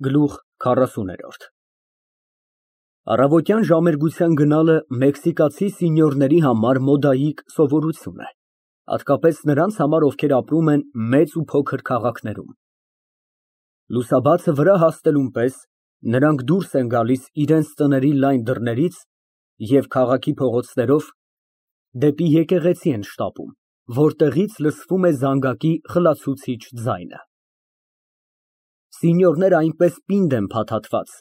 Գլուխ 40 Առավոտյան ժամերգության գնալը մեքսիկացի սենյորների համար մոդայիկ սովորություն է, հատկապես նրանց համար, ովքեր ապրում են մեծ ու փոքր քաղաքներում։ Լուսաբացը վրա հասնելուն պես նրանք դուրս են գալիս իրենց տների լայն դռներից և քաղաքի փողոցներով դեպի եկեղեցի են շտապում, որտեղից լսվում է զանգակի խլացուցիչ ձայնը։ Սենյորները այնպես պինդ են փաթաթված,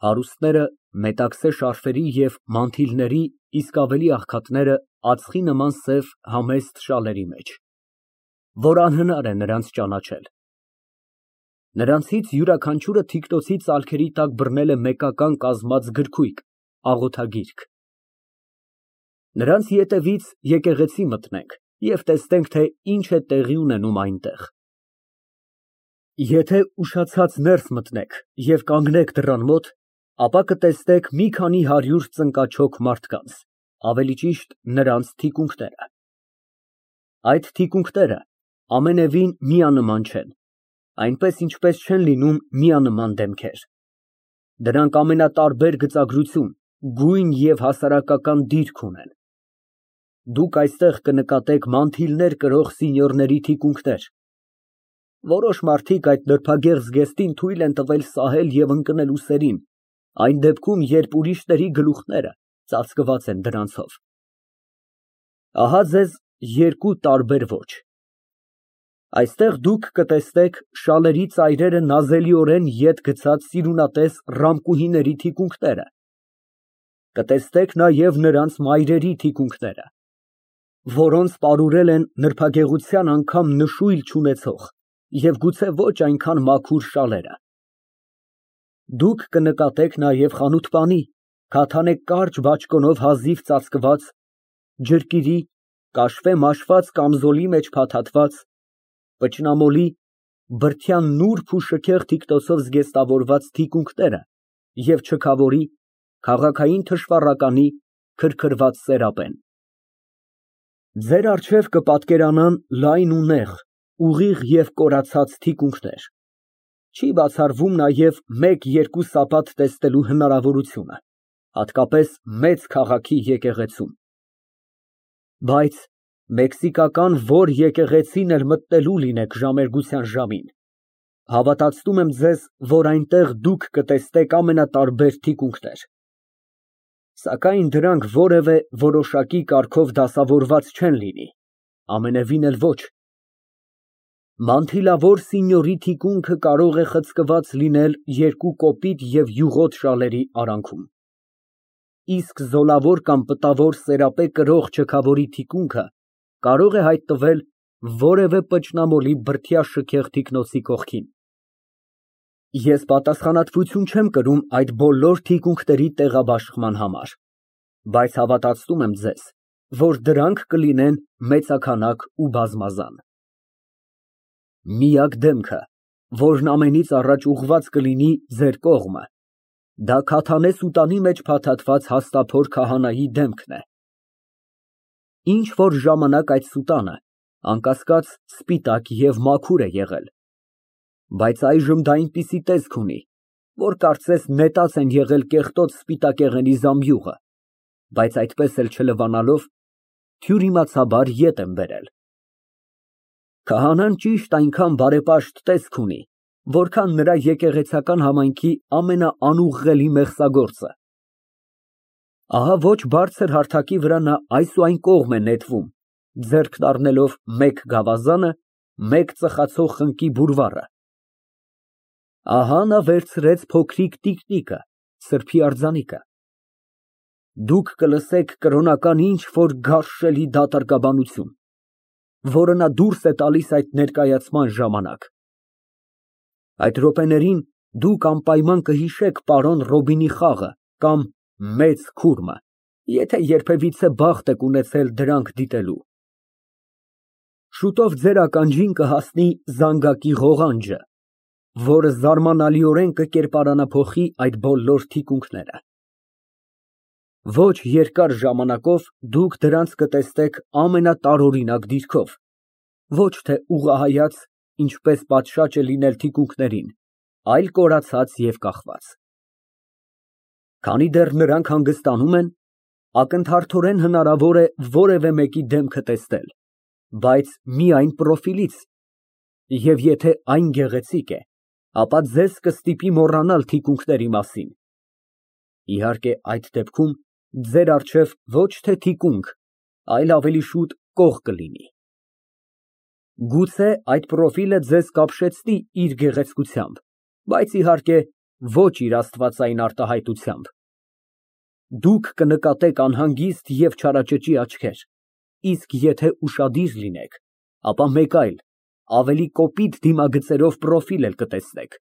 հարուստները մետաքսե շարֆերի և մանթիլների, իսկ ավելի աղքատները ածխի նման սև համեստ շալերի մեջ, որ անհնար է նրանց ճանաչել։ Նրանցից յուրաքանչյուրը թիկնոցի ծալքերի տակ բռնել է մեկական կազմած գրքույկ, աղոթագիրք։ Նրանց ետևից եկեղեցի մտնենք և տեսնենք, թե ինչ է տեղի ունենում այնտեղ։ Եթե ուշացած ներս մտնեք և կանգնեք դռան մոտ, ապա կտեսնեք մի քանի հարյուր ծնկաչոք մարդկանց, ավելի ճիշտ նրանց թիկունքները։ Այդ թիկունքները ամենևին միանման չեն, այնպես ինչպես չեն լինում միանման դեմքեր։ Դրանք ամենատարբեր գծագրություն, գույն և հասարակական դիրք ունեն։ Դուք այստեղ կնկատեք մանթիլներ կրող սենյորների թիկունքներ։ Որոշ մարդիկ այդ նրբագեղ զգեստին թույլ են տվել սահել և ընկնել ուսերին, այն դեպքում, երբ ուրիշների գլուխները ծածկված են դրանցով։ Ահա ձեզ երկու տարբեր ոճ։ Այստեղ դուք կտեսնեք շալերի ծայրերը նազելիորեն ետ գցած սիրունատես ռամկուհիների թիկունքները, կտեսնեք նաև նրանց մայրերի թիկունքները, որոնց պարուրել են նրբագեղության անգամ նշույլ չունեցող և գուցե ոչ այնքան մաքուր շալերը։ Դուք կնկատեք նաև խանութպանի, քաթանե կարճ բաճկոնով հազիվ ծածկված, ջրկիրի, կաշվե մաշված կամզոլի մեջ փաթաթված, պճնամոլի, բրդյան նուրբ ու շքեղ թիկնոցով զգեստավորված թիկունքները և չքավորի, քաղաքային թշվառականի, քրքրված սերապեն։ Ձեր առջև կպատկերանան լայն ու նեղ, ուղիղ և կորացած թիկունքներ։ Չի բացառվում նաև մեկ֊երկու սապատ տեսնելու հնարավորությունը, հատկապես մեծ քաղաքի եկեղեցում։ Բայց մեքսիկական որ եկեղեցին էլ մտնելու լինեք ժամերգության ժամին, հավատացնում եմ ձեզ, որ այնտեղ դուք կտեսնեք ամենատարբեր թիկունքներ։ Սակայն դրանք որևէ որոշակի կարգով դասավորված չեն լինի, ամենևին էլ ոչ։ Մանթիլավոր սենյորի թիկունքը կարող է խցկված լինել երկու կոպիտ և յուղոտ շալերի արանքում, իսկ զոլավոր կամ պտավոր սերապե կրող չքավորի թիկունքը կարող է հայտնվել որևէ պճնամոլի բրդյա շքեղ թիկնոցի կողքին։ Ես պատասխանատվություն չեմ կրում այդ բոլոր թիկունքների տեղաբաշխման համար, բայց հավատացնում եմ ձեզ, որ դրանք կլինեն մեծաքանակ ու բազմազան։ Միակ դեմքը, որն ամենից առաջ ուղղված կլինի ձեր կողմը, դա քաթանե սուտանի մեջ փաթաթված հաստափոր քահանայի դեմքն է։ Ինչ որ ժամանակ այդ սուտանը, անկասկած, սպիտակ և մաքուր է եղել, բայց այժմ դա այնպիսի տեսք ունի, որ կարծես նետած են եղել կեղտոտ սպիտակեղենի զամբյուղը, բայց այդպես էլ չլվանալով, թյուրիմացաբար ետ են բերել։ Քահանան ճիշտ այնքան բարեպաշտ տեսք ունի, որքան նրա եկեղեցական համայնքի ամենաանուղղելի մեղսագործը։ Ահա ոչ բարձր հարթակի վրա նա այս ու այն կողմ է նետվում, ձեռքն առնելով մեկ գավազանը, մեկ ծխացող խնկի բուրվառը։ Ահա նա վերցրեց փոքրիկ տիկնիկը, սրբի արձանիկը։ Դուք կլսեք կրոնական ինչ֊որ գարշելի դատարկաբանություն, որը նա դուրս է տալիս այդ ներկայացման ժամանակ։ Այդ րոպեներին դուք անպայման կհիշեք պարոն Ռոբինի խաղը կամ Մեծ քուրմը, եթե երբևիցե բախտ եք ունեցել դրանք դիտելու։ Շուտով ձեր ականջին կհասնի զանգակի ղողանջը, որը զարմանալիորեն կկերպարանափոխի այդ բոլոր թիկունքները։ Ոչ երկար ժամանակով դուք դրանց կտեսնեք ամենատարօրինակ դիրքով, ոչ թե ուղղահայաց, ինչպես պատշաճ է լինել թիկունքներին, այլ կորացած և կախված։ Քանի դեռ նրանք հանգստանում են, ակնթարթորեն հնարավոր է որևէ մեկի դեմքը տեսնել, բայց միայն պրոֆիլից, և եթե այն գեղեցիկ է, ապա ձեզ կստիպի մոռանալ թիկունքների մասին։ Իհարկե, այդ դեպքում ձեր առջև ոչ թե թիկունք, այլ ավելի շուտ կող կլինի։ Գուցե այդ պրոֆիլը ձեզ կապշեցնի իր գեղեցկությամբ, բայց իհարկե ոչ իր աստվածային արտահայտությամբ։ Դուք կնկատեք անհանգիստ և չարաճճի աչքեր, իսկ եթե ուշադիր լինեք, ապա մեկ այլ, ավելի կոպիտ դիմագծերով պրոֆիլ էլ կտեսնեք,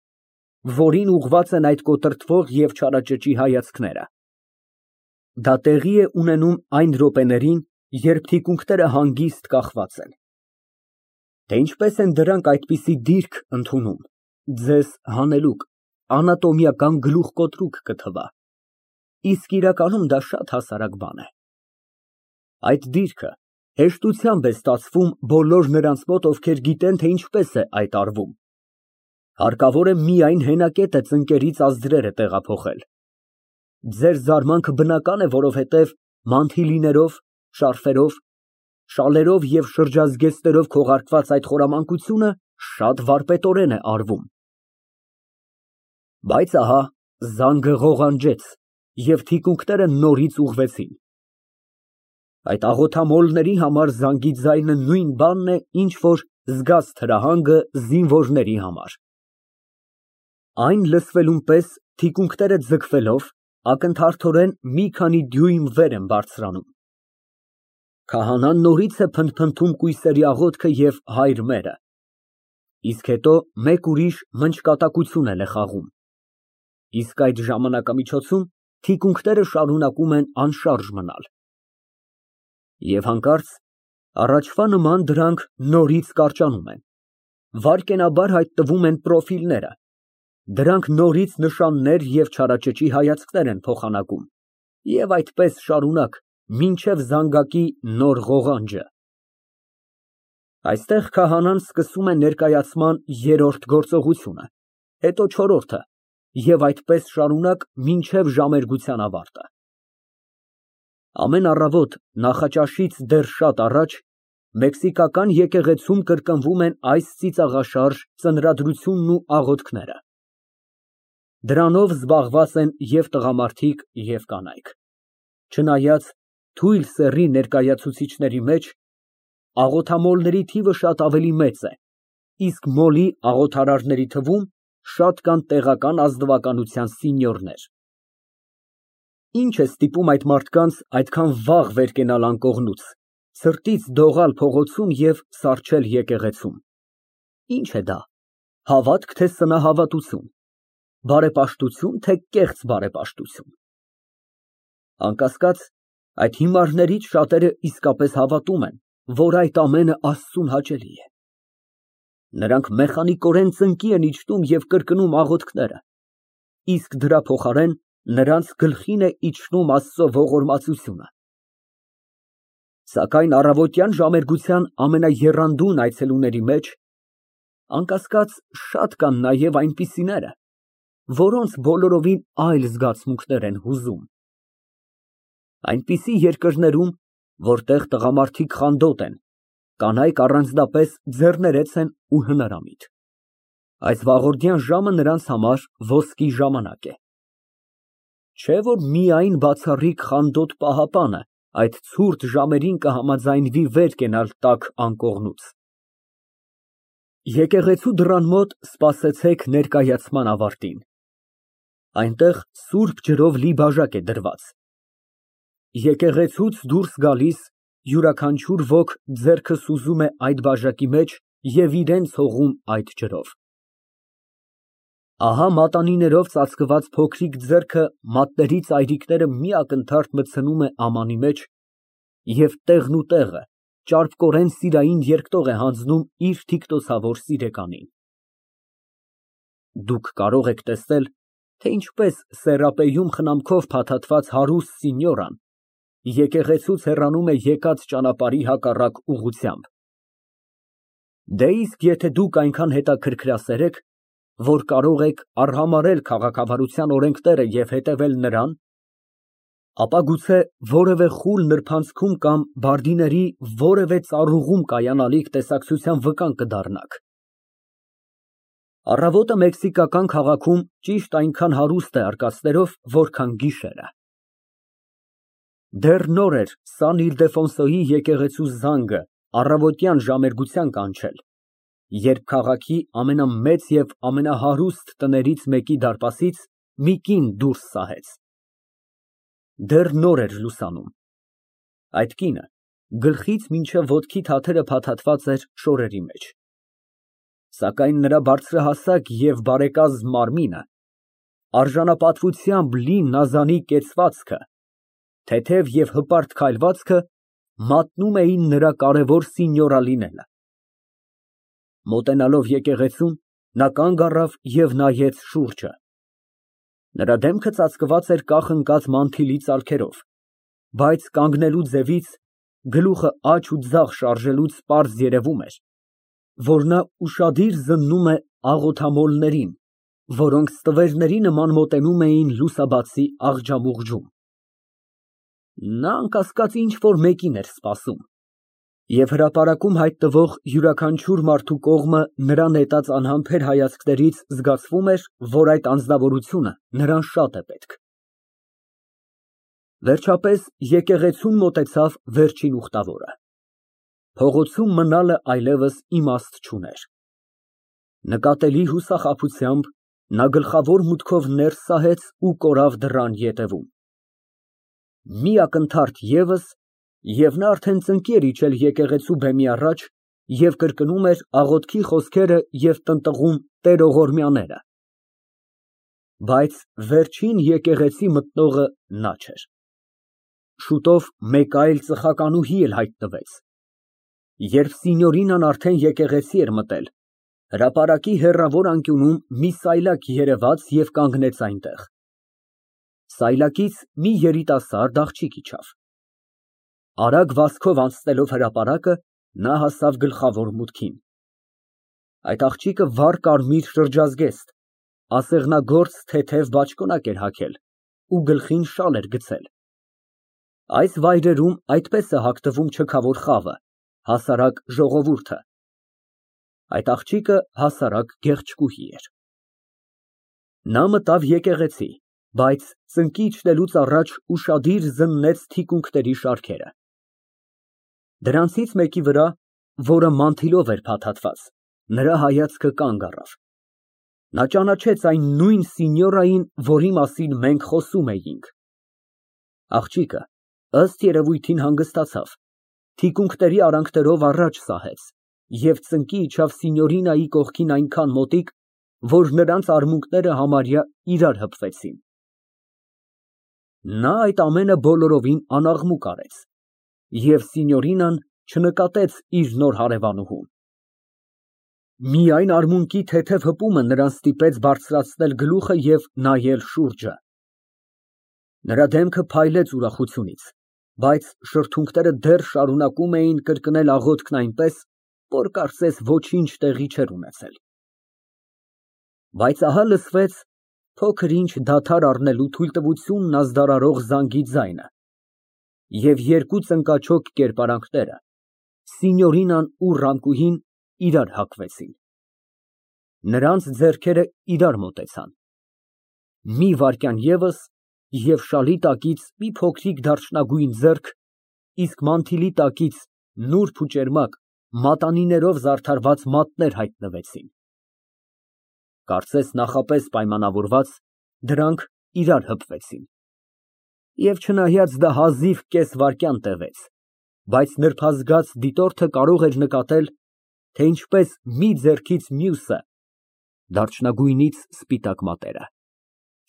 որին ուղղված են այդ կոտրտվող և չարաճճի հայացքները։ Դա տեղի է ունենում այն րոպեներին, երբ թիկունքները հանգիստ կախված են։ Թե ինչպես են դրանք այդպիսի դիրք ընդունում, ձեզ հանելուկ, անատոմիական գլուխկոտրուկ կթվա, իսկ իրականում դա շատ հասարակ բան է։ Այդ դիրքը հեշտությամբ է ստացվում բոլոր նրանց մոտ, ովքեր գիտեն, թե ինչպես է այդ արվում։ Հարկավոր է միայն հենակետը ծնկերից ազդրերը տեղափոխել։ Ձեր զարմանքը բնական է, որովհետև մանթիլիներով, շարֆերով, շալերով և շրջազգեստներով քողարկված այդ խորամանկությունը շատ վարպետորեն է արվում։ Բայց ահա զանգը ղողանջեց, և թիկունքները նորից ուղղվեցին։ Այդ աղոթամոլների համար զանգի ձայնը նույն բանն է, ինչ որ զգաց թրահանգը զինվորների համար։ Այն լսվելուն պես թիկունքները ձգվելով ակնթարթորեն մի քանի դյույմ վեր են բարձրանում։ Քահանան նորից է փնթփնթում կույսերի աղոթքը և Հայր մերը, իսկ հետո մեկ ուրիշ մնճկատակություն էլ է խաղում։ Իսկ այդ ժամանակամիջոցում թիկունքները շարունակում են անշարժ մնալ։ Եվ հանկարծ առաջվա նման դրանք նորից կարճանում են, վայրկենաբար հայտնվում են պրոֆիլները, դրանք նորից նշաններ և չարաճճի հայացքներ են փոխանակում, և այդպես շարունակ, մինչև զանգակի նոր ղողանջը։ Այստեղ քահանան սկսում է ներկայացման երրորդ գործողությունը, հետո չորրորդը, և այդպես շարունակ մինչև ժամերգության ավարտը։ Ամեն առավոտ նախաճաշից դեռ շատ առաջ մեքսիկական եկեղեցում կրկնվում են այս ծիծաղաշարժ ծնրադրությունն ու աղոթքները։ Դրանով զբաղված են և տղամարդիկ, և կանայք։ Չնայած թույլ սեռի ներկայացուցիչների մեջ աղոթամոլների թիվը շատ ավելի մեծ է, իսկ մոլի աղոթարարների թվում շատ կան տեղական ազնվականության սենյորներ։ Ինչ է ստիպում այդ մարդկանց այդքան վաղ վեր կենալ անկողնուց, ցրտից դողալ փողոցում և սառչել եկեղեցում։ Ինչ է դա, հավատք, թե սնահավատություն, բարեպաշտություն, թե կեղծ բարեպաշտություն։ Անկասկած, այդ հիմարներից շատերը իսկապես հավատում են, որ այդ ամենը Աստծուն հաճելի է։ Նրանք մեխանիկորեն ծնկի են իջնում և կրկնում աղոթքները, իսկ դրա փոխարեն նրանց գլխին է իջնում Աստծո ողորմածությունը։ Սակայն առավոտյան ժամերգության ամենաեռանդուն այցելուների մեջ, անկասկած, շատ կան նաև այնպիսիները, որոնց բոլորովին այլ զգացմունքներ են հուզում։ Այնպիսի երկրներում, որտեղ տղամարդիկ խանդոտ են, կանայք առանձնապես ձեռներեց են ու հնարամիտ։ Այս վաղորդյան ժամը նրանց համար ոսկի ժամանակ է։ Չէ՞ որ միայն բացառիկ խանդոտ պահապանը այդ ցուրտ ժամերին կհամաձայնվի վեր կենալ տաք անկողնուց։ Եկեղեցու դռան մոտ սպասեցեք ներկայացման ավարտին։ Այնտեղ սուրբ ջրով լի բաժակ է դրված։ Եկեղեցուց դուրս գալիս յուրաքանչյուր ոք ձեռքը սուզում է այդ բաժակի մեջ և իրան հողում այդ ջրով։ Ահա մատանիներով ծածկված փոքրիկ ձեռքը մատների ծայրիկները մի ակնթարթ մտցնում է ամանի մեջ և տեղնուտեղը ճարպկորեն սիրային երկտող է հանձնում իր թիկնոցավոր սիրեկանին։ Դուք կարող եք տեսնել, թե ինչպես սեռապեում խնամքով փաթաթված հարուստ սինյորան եկեղեցուց հեռանում է եկած ճանապարհի հակառակ ուղղությամբ։ Դե իսկ եթե դուք այնքան հետաքրքրասեր եք, որ կարող եք արհամարհել քաղաքավարության օրենքները և հետևել նրան, ապա գուցե որևէ խուլ նրբանցքում կամ բարդիների որևէ ծառուղում կայանալիք տեսակցության վկան կդառնաք։ Առավոտը մեքսիկական քաղաքում ճիշտ այնքան հարուստ է արկածներով, որքան գիշերը։ Դեռ նոր էր Սան Իլդեֆոնսոյի եկեղեցու զանգը առավոտյան ժամերգության կանչել, երբ քաղաքի ամենամեծ և ամենահարուստ տներից մեկի դարպասից մի կին դուրս սահեց։ Դեռ նոր էր լուսանում։ Այդ կինը գլխից մինչև ոտքի թաթերը փաթաթված էր շորերի մեջ, սակայն նրա բարձրահասակ և բարեկազմ մարմինը, արժանապատվությամբ լի նազանի կեցվածքը, թեթև և հպարտ քայլվածքը մատնում էին նրա կարևոր սինյորա լինելը։ Մոտենալով եկեղեցուն, նա կանգ առավ և նայեց շուրջը։ Նրա դեմքը ծածկված էր կախ ընկած մանթիլի ծալքերով, բայց կանգնելու ձևից, գլուխը աջ ու ձախ շարժելուց պարզ երևում էր, որ նա ուշադիր զննում է աղոթամոլներին, որոնք ստվերների նման մոտենում էին լուսաբացի աղջամուղջում։ Նա անկասկած ինչ֊որ մեկին էր սպասում, և հրապարակում հայտնվող յուրաքանչյուր մարդու կողմը նրան նետած անհամբեր հայացքներից զգացվում էր, որ այդ անձնավորությունը նրան շատ է պետք։ Վերջապես եկեղեցուն մոտեցավ վերջին ուխտավորը։ Փողոցում մնալը այլևս իմաստ չուներ։ Նկատելի հուսախաբությամբ նա գլխավոր մուտքով ներս սահեց ու կորավ դռան ետևում։ Մի ակնթարթ ևս, և նա արդեն ծնկի էր իջել եկեղեցու բեմի առաջ և կրկնում էր աղոթքի խոսքերը և տնտղում տերողորմյաները։ Բայց վերջին եկեղեցի մտնողը նա չէր։ Շուտով մեկ այլ ծխականուհի էլ հայտնվեց։ Երբ Սինյորինան արդեն եկեղեցի էր մտել, հրապարակի հեռավոր անկյունում մի սայլակ երևաց և կանգնեց այնտեղ։ Սայլակից մի երիտասարդ աղջիկ իջավ։ Արագ վազքով անցնելով հրապարակը, նա հասավ գլխավոր մուտքին։ Այդ աղջիկը վառ կարմիր շրջազգեստ, ասեղնագործ թեթև բաճկոնակ էր հագել ու գլխին շալ էր գցել։ Այս վայրերում այդպես է հագնվում չքավոր խավը, հասարակ ժողովուրդը։ Այդ աղջիկը հասարակ գեղեցկուհի էր։ Նա մտավ եկեղեցի, բայց ծնկի իջնելուց առաջ ուշադիր զննեց թիկունքների շարքերը։ Դրանցից մեկի վրա, որը մանթիլով էր փաթաթված, նրա հայացքը կանգ առավ։ Նա ճանաչեց այն նույն սինյորային, որի մասին մենք խոսում էինք։ Աղջիկը, ըստ երևույթին, հանգստացավ, թիկունքների արանքներով առաջ սահեց և ծնկի իջավ Սինյորինայի կողքին այնքան մոտիկ, որ նրանց արմունկները համարյա իրար հպվեցին։ Նա այդ ամենը բոլորովին անաղմուկ արեց, և Սինյորինան չնկատեց իր նոր հարևանուհուն։ Միայն արմունկի թեթև հպումը նրան ստիպեց բարձրացնել գլուխը և նայել շուրջը։ Նրա դեմքը փայլեց ուրախությունից, բայց շրթունքները դեռ շարունակում էին կրկնել աղոթքն այնպես, որ կարծես ոչինչ տեղի չէր ունեցել։ Բայց ահա լսվեց փոքր֊ինչ դադար առնելու թույլտվությունն ազդարարող զանգի ձայնը, և երկու ծնկաչոք կերպարանքները, Սինյորինան ու Ռամկուհին, իրար հակվեցին։ Նրանց ձեռքերը իրար մոտեցան։ Մի վայրկյան ևս, և շալի տակից մի փոքրիկ դարչնագույն ձեռք, իսկ մանթիլի տակից նուրբ ու ճերմակ, մատանիներով զարդարված մատներ հայտնվեցին։ Կարծես նախապես պայմանավորված, դրանք իրար հպվեցին։ Եվ չնայած դա հազիվ կես վայրկյան տևեց, բայց նրբազգաց դիտորդը կարող էր նկատել, թե ինչպես մի ձեռքից մյուսը (դարչնագույնից սպիտակ մատերը)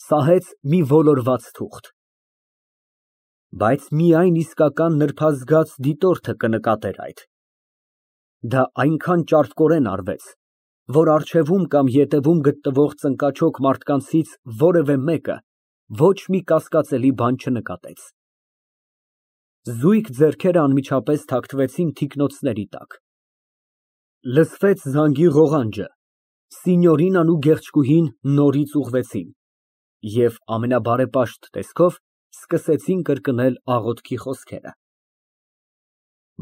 սահեց մի ոլորված թուղթ։ Բայց միայն իսկական նրբազգաց դիտորդը կնկատեր այդ։ Դա այնքան ճարպկորեն արվեց, որ առջևում կամ ետևում գտնվող ծնկաչոք մարդկանցից որևէ մեկը ոչ մի կասկածելի բան չնկատեց։ Զույգ ձեռքերը անմիջապես թաքնվեցին թիկնոցների տակ։ Լսվեց զանգի ղողանջը, Սինյորինան ու գեղեցկուհին նորից ուղղվեցին և ամենաբարեպաշտ տեսքով սկսեցին կրկնել աղոթքի խոսքերը։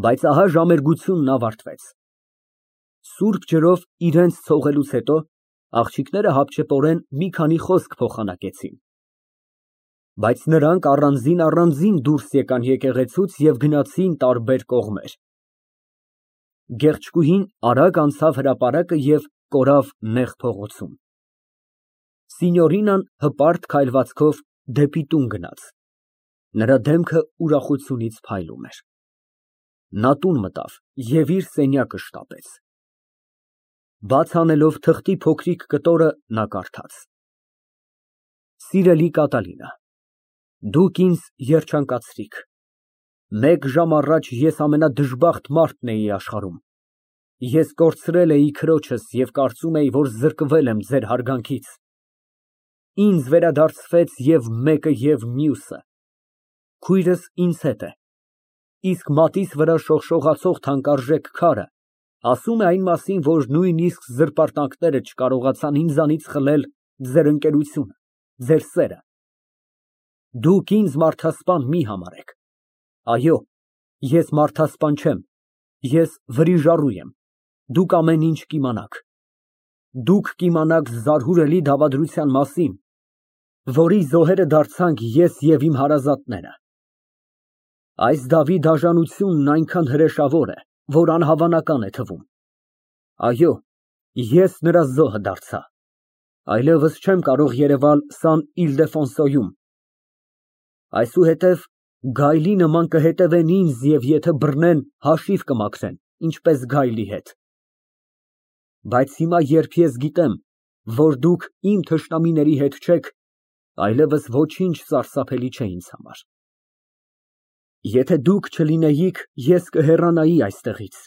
Բայց ահա ժամերգությունն ավարտվեց։ Սուրբ ջրով իրենց ցողելուց հետո աղջիկները հապճեպորեն մի քանի խոսք փոխանակեցին։ Բայց նրանք առանձին դուրս եկան եկեղեցուց և գնացին տարբեր կողմեր։ Գեղեցկուհին արագ անցավ հրապարակը և կորավ նեղ փողոցում։ Սինյորինան հպարտ քայլվածքով դեպի տուն գնաց։ Նրա դեմքը ուրախությունից փայլում էր։ Նա տուն մտավ և իր սենյակը շտապեց։ Բաց անելով թղթի փոքրիկ կտորը, նա կարդաց. Սիրելի Կատալինա, դուք ինձ երջանկացրիք։ Մեկ ժամ առաջ ես ամենադժբախտ մարդն էի աշխարհում։ Ես կորցրել էի քրոջս և կարծում էի, որ զրկվել եմ ձեր հարգանքից։ Ինձ վերադարձրեց և մեկը, և մյուսը։ Քույրս ինձ հետ է, իսկ մատիս վրա շողշողացող թանկարժեք քարը ասում է այն մասին, որ նույնիսկ զրպարտանքները չկարողացան ինձանից խլել ձեր ընկերությունը, ձեր սերը։ Դուք ինձ մարդասպան մի համարեք։ Այո, ես մարդասպան չեմ, ես վրիժառու եմ, դուք ամեն ինչ կիմանաք։ Դուք կիմանաք զարհուրելի դավադրության մասին, որի զոհերը դարձանք ես և իմ հարազատները։ Այս դավի դաժանությունն այնքան հրեշավոր է, որ անհավանական է թվում։ Այո, ես նրա զոհը դարձա։ Այլևս չեմ կարող երևալ Սան Իլդեֆոնսոյում։ Այսուհետև գայլի նման կհետևեն ինձ և եթե բռնեն, հաշիվ կմաքրեն, ինչպես գայլի հետ։ Բայց հիմա, երբ ես գիտեմ, որ դուք իմ թշնամիների հետ չեք, այլևս ոչինչ սարսափելի չէ ինձ համար։ Եթե դուք չլինեիք, ես կհեռանայի այստեղից,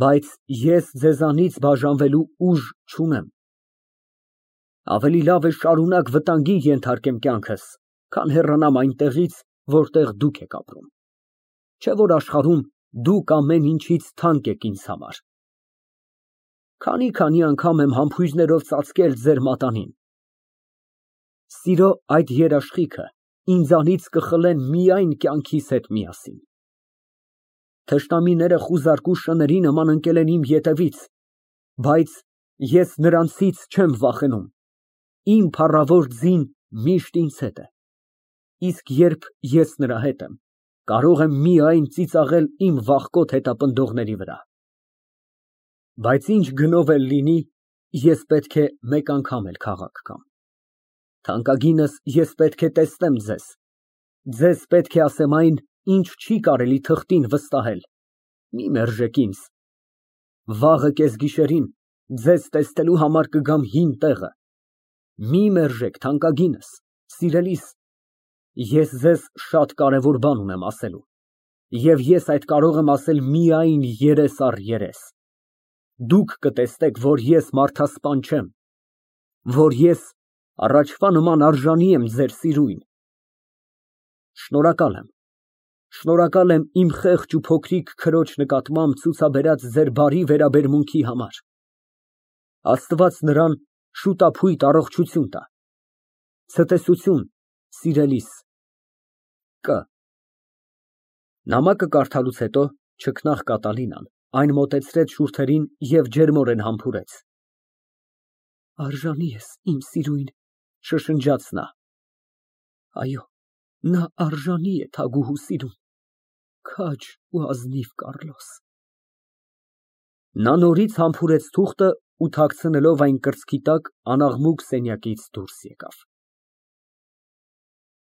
բայց ես ձեզանից բաժանվելու ուժ չունեմ։ Ավելի լավ է շարունակ վտանգի ենթարկեմ կյանքս, քան հեռանամ այնտեղից, որտեղ դուք եք ապրում։ Չէ՞ որ աշխարհում դուք ամեն ինչից թանկ եք ինձ համար։ Քանի անգամ եմ համբույրներով ծածկել ձեր մատանին։ Սիրո այդ երաշխիքը ինձանից կխլեն միայն կյանքիս հետ միասին։ Թշնամիները խուզարկու շների նման ընկել են իմ ետևից, բայց ես նրանցից չեմ վախենում։ Իմ փառավոր ձին միշտ ինձ հետ է, իսկ երբ ես նրա հետ եմ, կարող եմ միայն ծիծաղել իմ վախկոտ հետապնդողների վրա։ Բայց ինչ գնով էլ լինի, ես պետք է մեկ անգամ էլ քաղաք գամ։ Թանկագինս, ես պետք է տեսնեմ ձեզ։ Ձեզ պետք է ասեմ այն, ինչ չի կարելի թղթին վստահել։ Մի մերժեք ինձ։ Վաղը կեսգիշերին ձեզ տեսնելու համար կգամ հին տեղը։ Մի մերժեք, թանկագինս, սիրելիս, ես ձեզ շատ կարևոր բան ունեմ ասելու, և ես այդ կարող եմ ասել միայն երես առ երես։ Դուք կտեսնեք, որ ես մարդասպան չեմ, որ ես առաջվա նման արժանի եմ ձեր սիրույն։ Շնորհակալ եմ իմ խեղճ ու փոքրիկ քրոջ նկատմամբ ցուցաբերած ձեր բարի վերաբերմունքի համար։ Աստված նրան շուտափույթ առողջություն տա։ Ցտեսություն, սիրելիս, Կ. Նամակը կարդալուց հետո չքնաղ Կատալինան այն մոտեցրեց շուրթերին և ջերմորեն համբուրեց։ Արժանի ես, իմ սիրուն, շշնջաց նա։ Այո, նա արժանի է թագուհու սիրուն, քաջ ու ազնիվ Կառլոս։ Նա նորից համբուրեց թուղթը ու թաքցնելով այն կրծքի տակ անաղմուկ սենյակից դուրս եկավ։